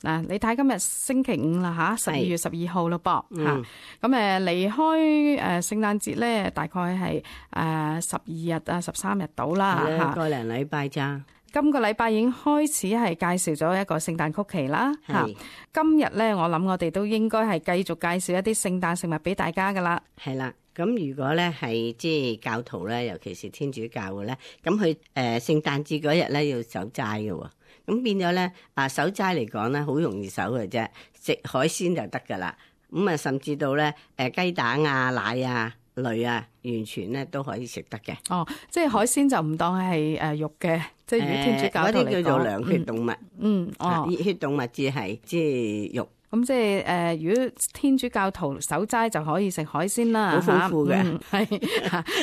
嗱，你睇今日星期五啦嚇，12月12號咯噃嚇。咁離開聖誕節咧，大概係12日啊13日到啦嚇，個零禮拜咋。今個禮拜已經開始係介紹咗一個聖誕曲奇啦嚇。今日咧，我諗我哋都應該係繼續介紹一啲聖誕食物俾大家噶啦。係啦，咁如果咧係即係教徒咧，尤其是天主教嘅咧，咁佢聖誕節嗰日咧要守齋嘅喎，咁變咗咧守齋嚟講咧，好容易守嘅啫，食海鮮就得噶啦。咁啊，甚至到咧雞蛋啊、奶啊類啊，完全咧都可以食得嘅。哦，即係海鮮就唔當係肉嘅，即係如果天主教徒嚟講，嗰啲叫做涼血動物。熱血動物至係即係肉。咁即係如果天主教徒守齋就可以食海鮮啦，好豐富嘅，係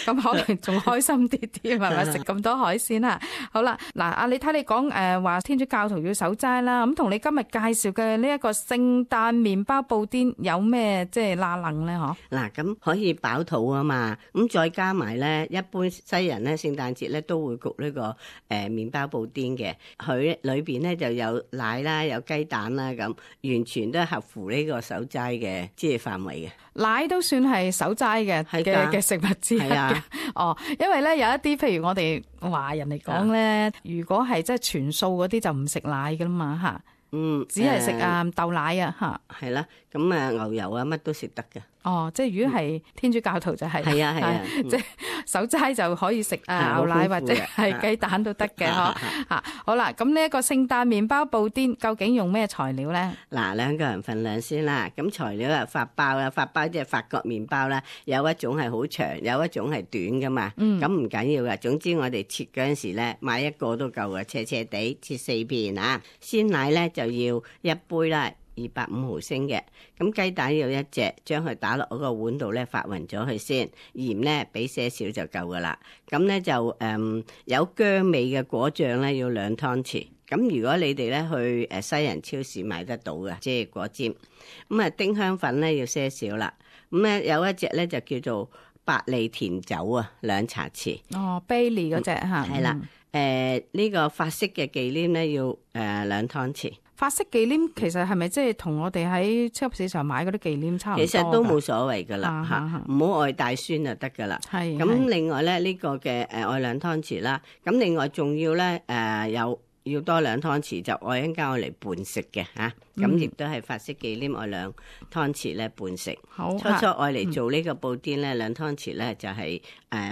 咁可能仲開心啲啲，係咪食咁多海鮮啦？好啦，嗱，你睇你講話天主教徒要守齋啦，咁同你今日介紹嘅呢一個聖誕麵包布甸有咩即係拉楞咧？嗬，嗱，咁可以飽肚啊嘛，咁再加埋咧，一般西人咧聖誕節咧都會焗呢個麵包布甸嘅，佢裏邊咧就有奶啦，有雞蛋啦，咁完全都合乎呢個守齋嘅即係範圍嘅。奶都算係守齋嘅食物之一嘅。哦，因為咧有一啲譬如我哋華人嚟講咧，如果係即係全素嗰啲就唔食奶噶啦嘛嚇。只係食豆奶啊嚇。係啦，咁牛油啊乜都食得嘅。哦，即係如果係天主教徒就係即係守齋就可以食牛奶或者係雞蛋都得嘅嗬嚇。好啦，咁呢一個聖誕麵包布甸究竟用咩材料咧？嗱，兩個人份量先啦。咁材料啊，法包啦，法包即係法國麵包啦，有一種係好長，有一種係短噶嘛。咁唔緊要噶，總之我哋切嗰陣時咧，買一個都夠嘅，斜斜地切4片啊。鮮奶咧就要1杯啦。250毫升嘅，咁雞蛋要1隻，將佢打落嗰個碗度咧發勻咗佢先，鹽咧俾些少就夠噶啦。咁咧就有薑味嘅果醬咧要2湯匙。咁如果你哋咧去西人超市買得到嘅，即係果尖。咁丁香粉咧要些少啦。咁咧有一隻咧就叫做百利甜酒啊，2茶匙。哦，Bailey 嗰隻嚇。係啦，呢個法式嘅忌廉咧要2湯匙。法式忌廉其實係咪即係同我哋喺超級市場買嗰啲忌廉差唔多？其實都冇所謂噶啦嚇，唔好愛大酸就得噶啦。係咁，另外咧呢個嘅愛2湯匙啦。咁另外仲要咧要多2湯匙，就愛一間愛嚟拌食嘅嚇。咁亦都係法式忌廉愛2湯匙咧拌食。好，初愛嚟做呢個布甸咧2湯匙咧就係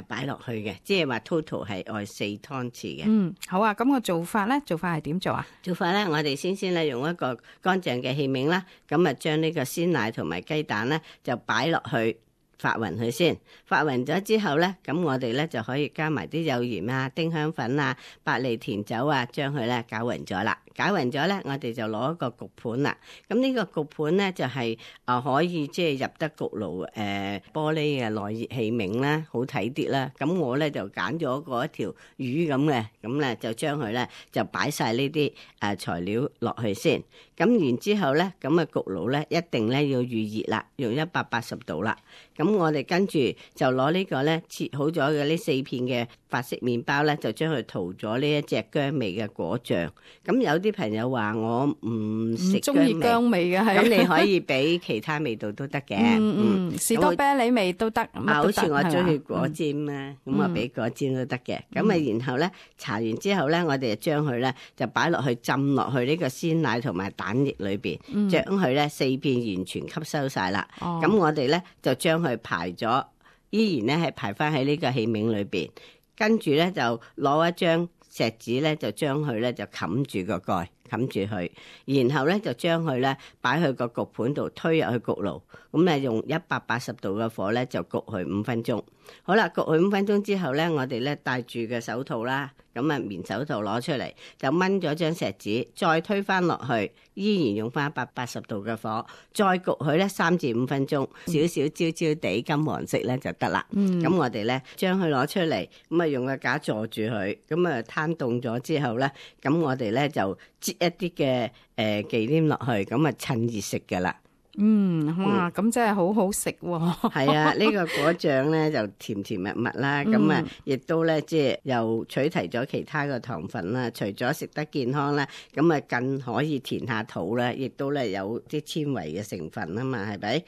擺落去嘅，即係話 total 係愛4湯匙嘅。好啊，咁個做法係點做啊？做法咧，我哋先咧用一個乾淨嘅器皿啦，咁啊將呢個鮮奶同埋雞蛋咧就擺落去。發勻佢先，發勻咗之後咧，咁我哋咧就可以加埋啲有鹽啊、丁香粉啊、百利甜酒啊，將佢咧攪勻咗啦。攪勻咗咧，我哋就攞一個焗盤啦。咁呢個焗盤咧就係可以即係入得焗爐玻璃嘅耐熱器皿啦，好睇啲啦。咁我咧就揀咗嗰一條魚咁嘅，咁咧就將佢咧就擺晒呢啲材料落去先。咁然之後咧，咁焗爐咧一定咧要預熱啦，用180度啦。咁我哋跟住就攞呢個咧切好咗嘅呢4片嘅法式麵包咧，就將佢塗咗呢一隻薑味嘅果醬。咁有啲朋友話我唔食中意薑味嘅，係咁你可以俾其他味道都得嘅。士多啤梨味都得。好似我中意果尖咧，咁我俾果尖都得嘅。咁然後咧搽完之後咧，我哋就將佢咧就擺落去浸落去呢個鮮奶同埋蛋液裏邊，將佢咧4片完全吸收晒啦。咁我哋咧就將佢排咗，依然咧係排翻喺呢個器皿裏邊，跟住咧就攞一張錫紙咧就將佢咧就冚住個蓋，冚住佢，然後咧就將佢咧擺去個焗盤度推入去焗爐，咁咧用180度嘅火咧就焗佢5分鐘。好啦，焗佢5分鐘之後咧，我哋咧戴住嘅手套啦，咁棉手套攞出嚟，就掹咗張錫紙，再推翻落去，依然用翻180度嘅火，再焗佢咧3至5分鐘，少少焦焦地金黃色咧就得啦。咁我哋咧將佢攞出嚟，咁用個架坐住佢，咁攤凍咗之後咧，咁我哋咧就擠一啲嘅忌廉落去，咁趁熱食噶啦。哇，咁真係好好食喎。係啊，呢個果醬咧就甜甜蜜蜜啦，咁啊亦都咧即係又取題咗其他嘅糖分啦，除咗食得健康啦，咁啊更可以填下肚啦，亦都咧有啲纖維嘅成分啊嘛，係咪？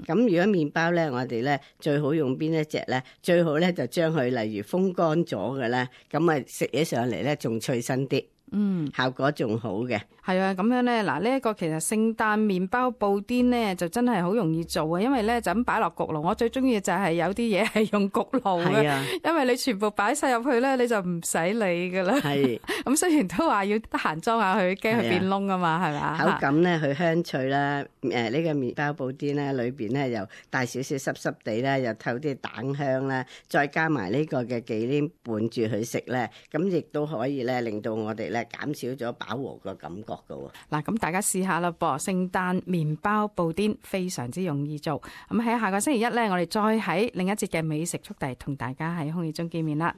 咁如果麵包咧，我哋咧最好用邊一隻咧？最好咧就將佢例如風乾咗嘅咧，咁啊食起上嚟咧仲脆身啲。效果仲好嘅。係啊，咁樣咧，嗱呢一個其實聖誕麵包布甸咧就真係好容易做啊，因為咧就咁擺落焗爐。我最中意就係有啲嘢係用焗爐嘅，啊、因為你全部擺晒入去咧，你就唔使理噶啦。係咁雖然都話要得閒裝下佢，驚佢變燶啊嘛，係咪？口感咧佢香脆啦，呢個麵包布甸咧裏邊咧又帶少少濕濕地啦，又透啲蛋香啦，再加埋呢個嘅忌廉拌住佢食咧，咁亦都可以咧令到我哋咧減少咗飽和個感覺噶喎。嗱，咁大家試下啦噃，聖誕麵包布甸非常之容易做。咁喺下個星期一咧，我哋再喺另一節嘅美食速遞同大家喺空氣中見面啦。